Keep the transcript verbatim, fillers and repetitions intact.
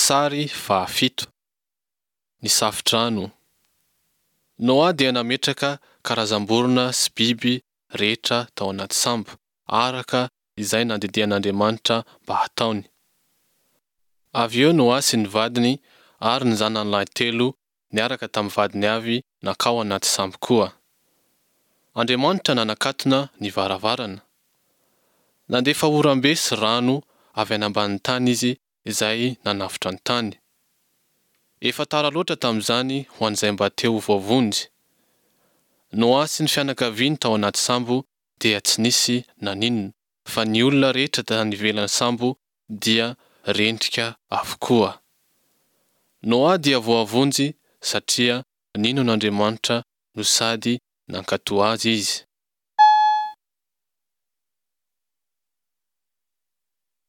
Sary fahafito, ny safo-drano. Noa dia nametraka karazam-borona sy biby rehetra tao anaty sambo araka izay nandidian'Andriamanitra mba hataony. Avy eo Noa sy ny vadiny ary ny zanany lahy telo niaraka tamin'ny vadiny avy nankao anaty sambo koa. Andriamanitra nanakatona ny varavarana. Nandefa oram-be sy rano avy any ambanin'ny tany izy izay nanafotra ny tany. Efa tara loatra tamin'izany ho an'izay mba te ho voavonjy. Noa sy ny fianakaviany tao anaty sambo dia tsy nisy naninona fa ny olona rehetra tany ivelan'ny sambo dia rendrika avokoa. Noa dia voavonjy satria nino an'Andriamanitra no sady nankatò azy izy.